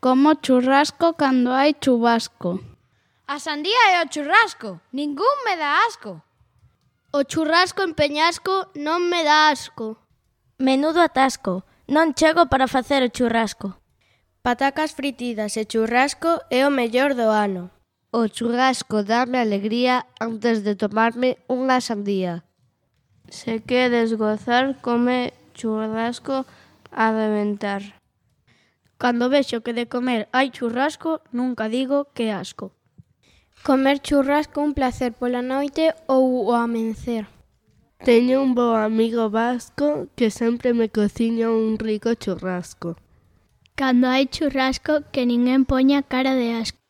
Como churrasco cando hai chubasco. A sandía e o churrasco, ningún me dá asco. O churrasco en Peñasco non me dá asco. Menudo atasco, non chego para facer o churrasco. Patacas fritidas e churrasco é o mellor do ano. O churrasco dáme alegría antes de tomarme unha sandía. Se queres gozar, come churrasco a reventar. Cando vexo que de comer hai churrasco, nunca digo que asco. Comer churrasco un placer pola noite ou o amencer. Teño un bo amigo vasco que sempre me cociña un rico churrasco. Cando hai churrasco, que ninguén poña cara de asco.